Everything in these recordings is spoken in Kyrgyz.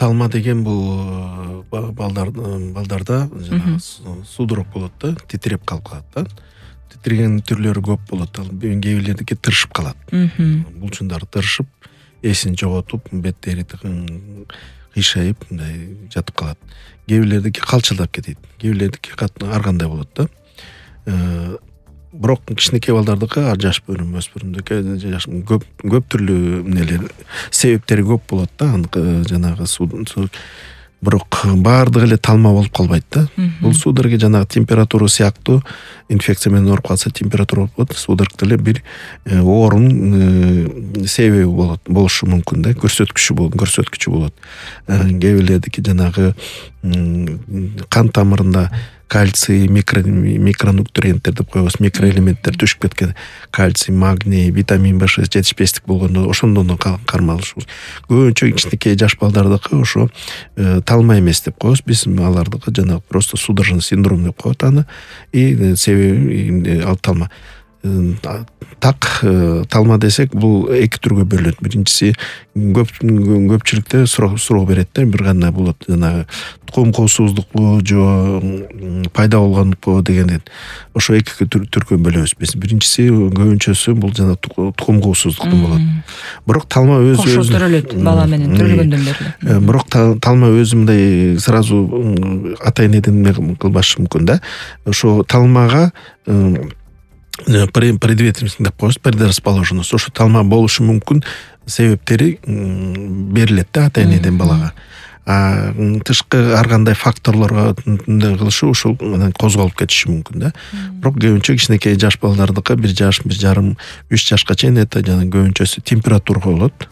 талма деген бул балдарда жанагы судорог болот да, титиреп калып калат да. Титиреген түрлөрү көп болот. Ал кээ бирлердики тырышып калат. Булчундары тырышып, эсин жоготуп, беттери кыйшайып, мындай жатып калат. Кээ бирлердики калчылдап кетет. Кээ бирлердики ар кандай болот да. Бирок кичинекей балдардыкы, жаш өспүрүмдүкү көп түрлүү эмнелер, себептери көп болот да. Жанагы бирок баардыгы эле талма болуп калбайт да. Бул судорог жанагы температура сыяктуу, инфекция менен ооруп калса температура болот. Судорог деле бир оорунун себеби болушу мүмкүн да, көрсөткүчү болот. Кээ бирлердики жанагы кан тамырында кальций, микронутриенттер деп коебуз, микроэлементтер түшүп кеткен. Кальций, магний, витамин B6 жетишпестик болгондо ошондон кармалышыбыз. Көбүнчө кичинекей жаш балдардыкы ошо талма эмес деп коебуз. Биз алардыкы жанагы просто судорожный синдром деп коет аны. И себеби ал талма. Так талма десек, бул эки түргө бөлүнөт. Биринчиси көпчүлүктө суроо берет да, бир кандай болот, жанагы тукум коопсуздукпу же пайда болгондукпу дегенден. Ошо эки түргө бөлөбүз биз. Биринчиси көбүнчөсү бул жана тукум коопсуздуктун болот. Бирок талма кошо төрөлөт, бала менен төрөлгөндөн бери. Бирок талма өзү мындай сразу атайын эдеме кылбашы мүмкүн да. Ошо талмага предветственность деп коебуз, предрасположенность. Ошо талма болушу мүмкүн себептери берилет да атайын эдем балага. Тышкы ар кандай факторлорго кылышы ушул козголуп кетиши мүмкүн да. Бирок көбүнчө кичинекей жаш балдардыкы 1 жаш, 1 жарым, 3 жашка чейин это жана көбүнчөсү температура болот.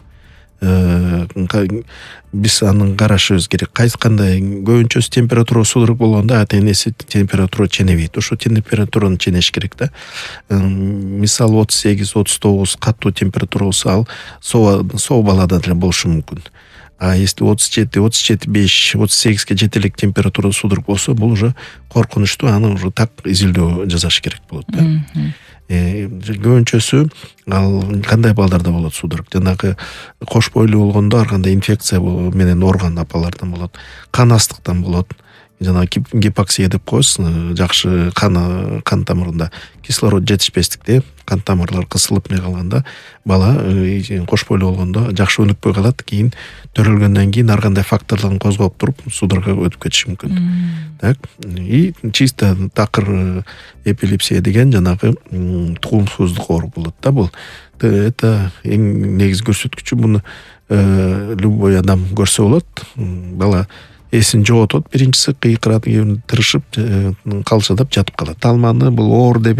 Биз аны карашыбыз керек. Кайсы кандай көбүнчөсү температура судорог болгондо ата-энеси температура ченебейт. Ошо температураны ченеш керек да. Мисалы 38-39 каттуу температура болсо, ал соо балада деле болушу мүмкүн. А если 37, 5, 38ге жете элек температура судорог болсо, бул уже коркунучтуу, аны уже так изилдөө жасаш керек болот да. Көбүнчөсү ал кандай балдарда болот судорог? Жанагы кош бойлуу болгондо ар кандай инфекция менен ооруган апалардан болот. Кан астыктан болот. Жанагы гипоксия деп коебуз, жакшы кан тамырында кислород жетишпестикте кан тамырлар кысылып калганда бала кош бойлуу болгондо жакшы өнүкпөй калат. Кийин төрөлгөндөн кийин ар кандай факторлорун козгоп туруп судорогго өтүп кетиши мүмкүн. Так, и чисто такыр эпилепсия деген жанагы тукумсуздук оору болот да. Бул это эң негизги көрсөткүчү. Буну любой адам көрсө болот. Бала эсин жоготот, биринчиси кыйкырат, тырышып, калчылдап жатып калат. Талманы бул оору деп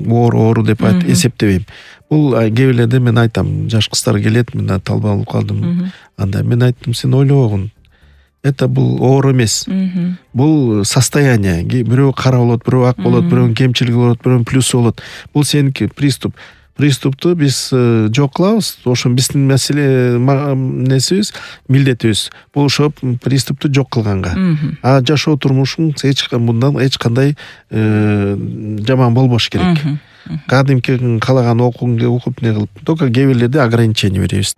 оору деп эсептебейм. Бул кээ бирлерде мен айтам, жаш кыздар келет, мен талма болуп калдым. Анда мен айттым, сен ойлобогун. Это бул оору эмес. Бул состояние. Бирөө кара болот, бирөө ак болот, бирөөнүн кемчилиги болот, бирөөнүн плюсу болот. Бул сеники приступ. Приступту биз жок кылабыз. Ошо биздин маселе несибиз, милдетибиз. Бул ошо приступту жок кылганга. А жашоо турмушуң мындан эч кандай жаман болбош керек. Кадимки калаган окуп не кылып, только кээ бирлерде ограничение беребиз.